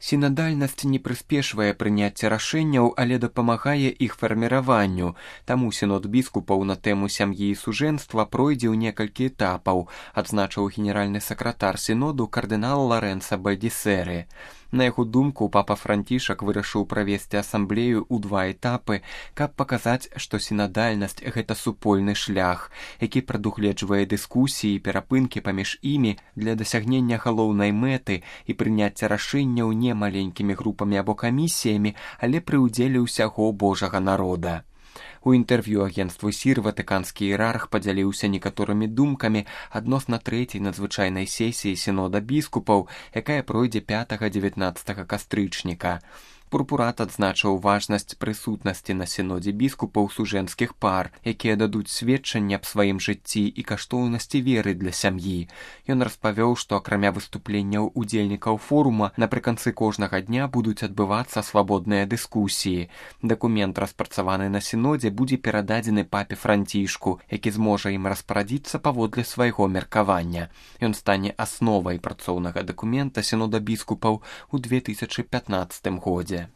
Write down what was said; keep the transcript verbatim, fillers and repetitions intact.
Сінадальнасць не прыспешвае прыняцце рашэнняў, але дапамагае іх фарміраванню. Таму сінод біскупаў на тэму сям'і і сужэнства пройдзе ў некалькі этапаў, адзначыў генеральны сакратар сіноду кардынал Ларэнца Бальдісеры. На яго думку, папа Францішак вырашыў правесці асамблею ў два этапы, каб паказаць, што сінадальнасць – гэта супольны шлях, які прадугледжвае дыскусіі і перапынкі паміж імі для дасягнення галоўнай мэты і прыняцця рашэнняў не маленькімі групамі або камісіямі, але пры ўдзеле ўсяго Божага народа. У інтэрв'ю агенцтву сір ватыканскі іерарх падзяліўся некаторымі думкамі адносна трэцяй надзвычайнай сесіі сінода біскупаў, якая пройдзе пятага-дзевятнаццатага кастрычніка. Пурпурат адзначыў важнасць прысутнасці на сінодзе біскупаў сужэнскіх пар, якія дадуць сведчанне аб сваім жыцці і каштоўнасці веры для сям'і. Ён распавёў, што акрамя выступленняў удзельнікаў форума напрыканцы кожнага дня будуць адбывацца свабодныя дыскусіі. Дакумент, распрацаваны на сінодзе, будзе перададзены папе Францішку, які зможа ім распарадзіцца паводле свайго меркавання. Ён стане асновай працоўнага дакумента сінода біскупаў у две тысячы пятнаццатым годзе.